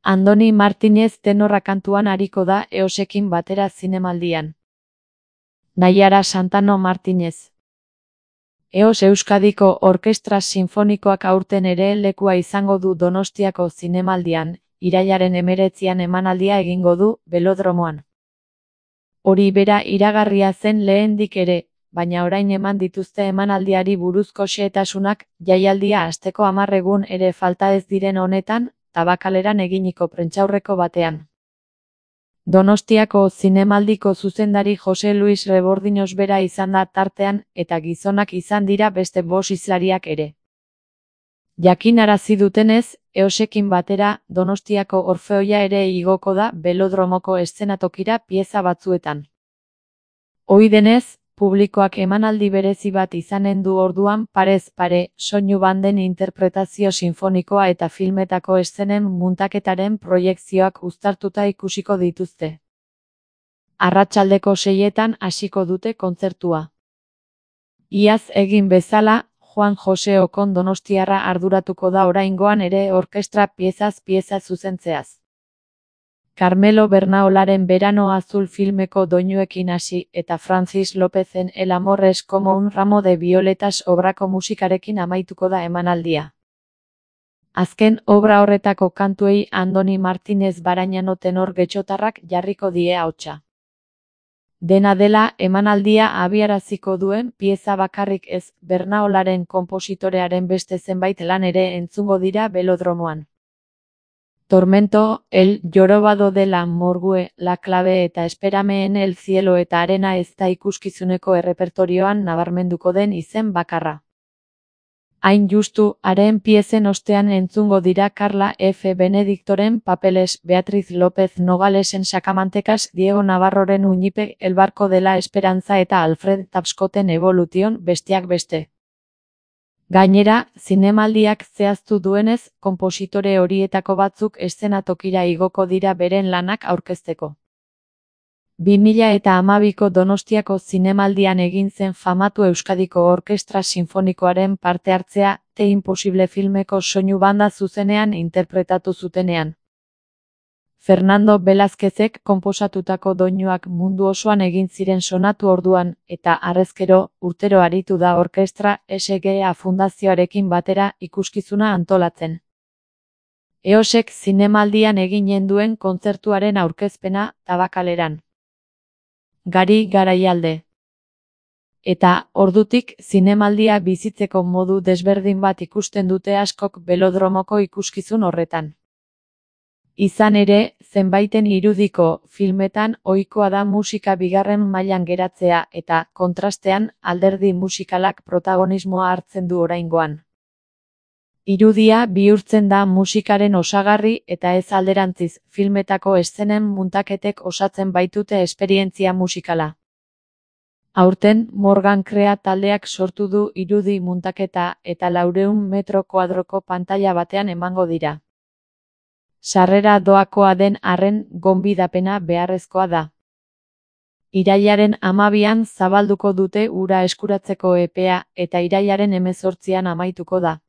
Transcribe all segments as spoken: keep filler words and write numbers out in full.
Andoni Martinez tenorra kantuan ariko da Eosekin batera zinemaldian. Naiara Santano Martinez. Eos Euskadiko Orkestra Sinfonikoak aurten ere lekua izango du Donostiako zinemaldian, irailaren hemeretzian emanaldia egingo du, Belodromoan. Hori bera iragarria zen lehendik ere, baina orain eman dituzte emanaldiari buruzko xehetasunak, jaialdia hasteko hamar egun ere falta ez diren honetan, Tabakaleran eginiko prentsaurreko batean. Donostiako zinemaldiko zuzendari Jose Luis Rebordiños bera izan da tartean, eta gizonak izan dira beste bost hizlariak ere. Jakinarazi dutenez, Eosekin batera, Donostiako Orfeoia ere igoko da Belodromoko eszenatokira pieza batzuetan. Ohi denez, publikoak emanaldi berezi bat izanen du orduan parez pare, soinu banden interpretazio sinfonikoa eta filmetako eszenen muntaketaren proiekzioak uztartuta ikusiko dituzte. Arratsaldeko seietan hasiko dute kontzertua. Iaz egin bezala, Juan Jose Okon donostiarra arduratuko da oraingoan ere orkestra piezaz pieza zuzentzeaz. Carmelo Bernaolaren Verano Azul filmeko doinuekin hasi eta Francis Lopezen El amor es como un ramo de violetas obrako musikarekin amaituko da emanaldia. Azken obra horretako kantuei Andoni Martinez Barañano tenor getxotarrak jarriko die ahotsa. Dena dela, emanaldia abiaraziko duen pieza bakarrik ez, Bernaolaren konpositorearen beste zenbait lan ere entzungo dira Belodromoan. Tormento, El jorobado de la morgue, La clave eta Espérame en el cielo eta Arena ez da ikuskizuneko errepertorioan nabarmenduko den izen bakarra. Hain justu, haren piezen ostean entzungo dira Carla F. Benedictoren papeles, Beatriz López Nogalesen Sakamantekas, Diego Navarroren Uñipe, El barco de la esperanza eta Alfred Tapscoten Evolution besteak beste. Gainera, zinemaldiak zehaztu duenez, konpositore horietako batzuk eszenatokira igoko dira beren lanak aurkezteko. bi mila eta hamabiko Donostiako zinemaldian egin zen famatu Euskadiko Orkestra Sinfonikoaren parte hartzea, The Impossible filmeko soinu banda zuzenean interpretatu zutenean. Fernando Velázquezek konposatutako doinuak mundu osoan egin ziren sonatu orduan, eta harrezkero, urtero aritu da orkestra S G A fundazioarekin batera ikuskizuna antolatzen. Eosek zinemaldian eginen duen kontzertuaren aurkezpena, Tabakaleran. Gari Garaialde. Eta, ordutik, zinemaldia bizitzeko modu desberdin bat ikusten dute askok Belodromoko ikuskizun horretan. Izan ere, zenbaiten irudiko filmetan ohikoa da musika bigarren mailan geratzea eta, kontrastean, alderdi musikalak protagonismoa hartzen du oraingoan. Irudia bihurtzen da musikaren osagarri eta ez alderantziz, filmetako eszenen muntaketek osatzen baitute esperientzia musikala. Aurten, Morgan Krea taldeak sortu du irudi muntaketa eta laurehun metro kuadroko pantaila batean emango dira. Sarrera doakoa den arren, gonbidapena beharrezkoa da. Irailaren hamabian zabalduko dute hura eskuratzeko epea eta irailaren hemezortzian amaituko da.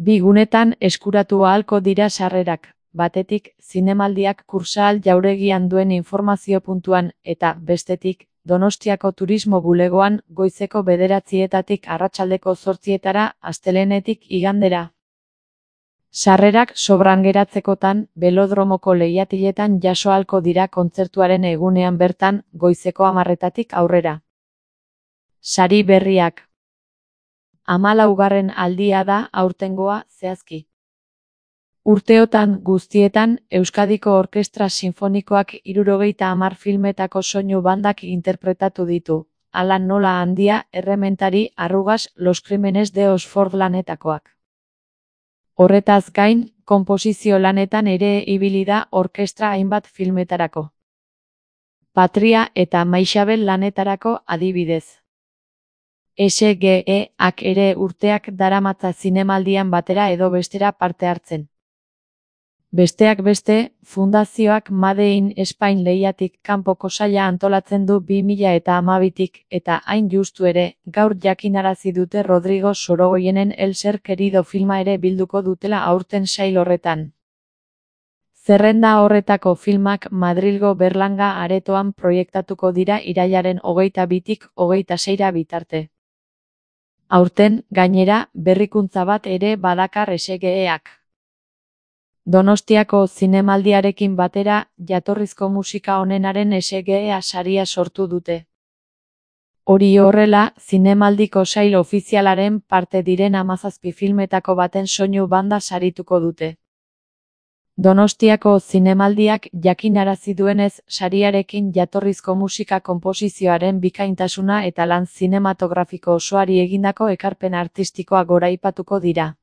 Bi gunetan eskuratu ahalko dira sarrerak, batetik, zinemaldiak Kursaal jauregian duen informazio puntuan, eta, bestetik, Donostiako turismo bulegoan, goizeko bederatzietatik arratsaldeko zortzietara, astelehenetik igandera. Sarrerak sobran geratzekotan, Belodromoko lehiatiletan jaso ahalko dira kontzertuaren egunean bertan, goizeko hamarretatik aurrera. Sari berriak. Hamalaugarren aldia da aurtengoa zehazki. Urteotan guztietan, Euskadiko Orkestra Sinfonikoak hirurogeita hamar filmetako soinu bandak interpretatu ditu, hala nola handia, errementari, arrugas, Los Crímenes de Oxford lanetakoak. Horretaz gain, konposizio lanetan ere ibili da orkestra hainbat filmetarako. Patria eta Maixabel lanetarako adibidez. S G E-ak ere urteak daramatza zinemaldian batera edo bestera parte hartzen. Besteak beste, fundazioak Made in Spain lehiatik kanpoko saila antolatzen du bi mila eta hamabitik, eta hain justu ere, gaur jakinarazi dute Rodrigo Sorogoyenen El ser querido filma ere bilduko dutela aurten sail horretan. Zerrenda horretako filmak Madrilgo Berlanga aretoan proiektatuko dira irailaren hogeita bitik hogeita seira bitarte. Aurten, gainera, berrikuntza bat ere badakar S G E-ak. Donostiako zinemaldiarekin batera, jatorrizko musika onenaren S G E saria sortu dute. Hori horrela, zinemaldiko sail ofizialaren parte diren hamazazpi filmetako baten soinu banda sarituko dute. Donostiako zinemaldiak jakinarazi duenez, sariarekin jatorrizko musika konposizioaren bikaintasuna eta lan zinematografiko osoari egindako ekarpen artistikoa goraipatuko dira.